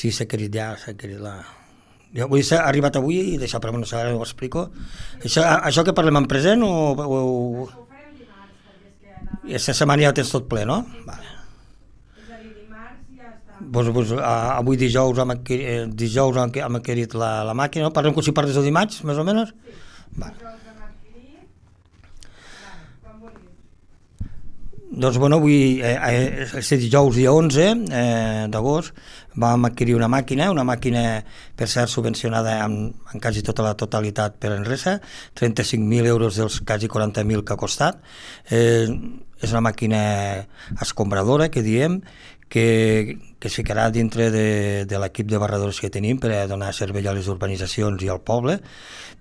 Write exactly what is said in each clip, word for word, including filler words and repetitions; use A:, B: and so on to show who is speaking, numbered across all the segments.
A: Sí, s'ha querit ja, s'ha querit la... Jo vull ser arribat avui i d'això, però no sé, ara ho explico. Això, això que parlem en present o... o, o...
B: Ho farem dimarts, perquè és que anava...
A: Aquesta setmana ja ho tens tot ple, no? Vale.
B: És a dir, dimarts ja està...
A: Pues, pues, avui dijous hem adquirit, eh, dijous hem adquirit la, la màquina, no? Parlem com si parles de dimarts, més o menys?
B: Sí,
A: vale.
B: dijous hem adquirit... Vale, quan vulguis.
A: Doncs bueno, avui, eh, eh, este dijous dia onze eh, d'agost vam adquirir una màquina, una màquina per cert subvencionada en, en quasi tota la totalitat per Enresa, trenta-cinc mil euros dels quasi quaranta mil que ha costat. Eh, és una màquina escombradora, que diem, que, que es ficarà dintre de, de l'equip de barradors que tenim per a donar servei a les urbanitzacions i al poble,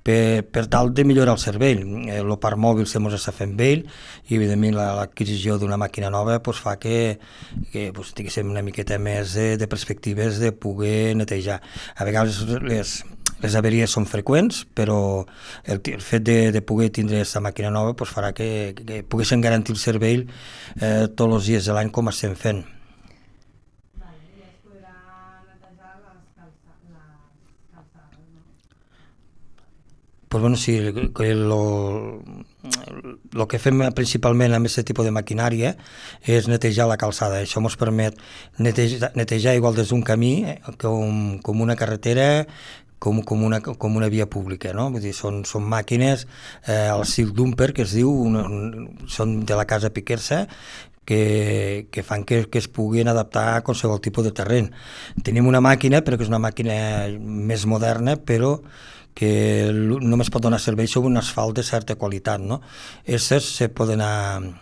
A: per, per tal de millorar el servei. El parc mòbil se mos està fent vell i evidentment l'adquisició d'una màquina nova pues, fa que, que pues, tinguéssim una miqueta més de, de perspectives de poder netejar. A vegades les, les averies són freqüents, però el, el fet de, de poder tindre aquesta màquina nova pues, farà que, que poguéssim garantir el servei eh, tots els dies de l'any com estem fent. Pues bueno, sí, lo, lo que fem principalment amb aquest tipus de maquinària és netejar la calçada. Això ens permet netejar, netejar igual des d'un camí com, com una carretera, com, com, una, com una via pública, no? Vull dir, són, són màquines eh, al Silk Dumper, que es diu, una, un, són de la casa Piquersa, que, que fan que, que es puguin adaptar a qualsevol tipus de terreny. Tenim una màquina, però que és una màquina més moderna, però que només pot donar servei sobre un asfalt de certa qualitat, no? Aquestes se poden, anar,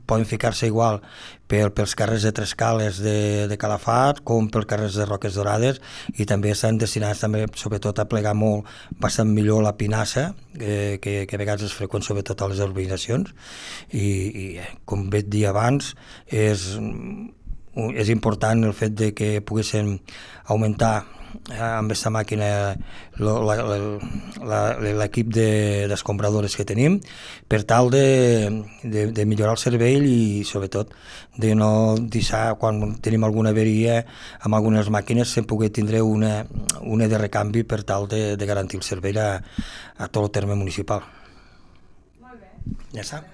A: poden ficar-se igual per, pels carrers de Trescales de, de Calafat com pels carrers de Roques Dorades, i també estan destinats també, sobretot a plegar molt bastant millor la pinassa, eh, que, que a vegades és freqüent sobretot a les urbanitzacions, i, i com vaig dir abans, és, és important el fet de que poguessin augmentar amb aquesta màquina l'equip d'escombradores que tenim per tal de, de, de millorar el servei i sobretot de no deixar, quan tenim alguna averia amb algunes màquines, sem poder tindre una, una de recanvi per tal de, de garantir el servei a, a tot el terme municipal.
B: Molt bé.
A: Ja està.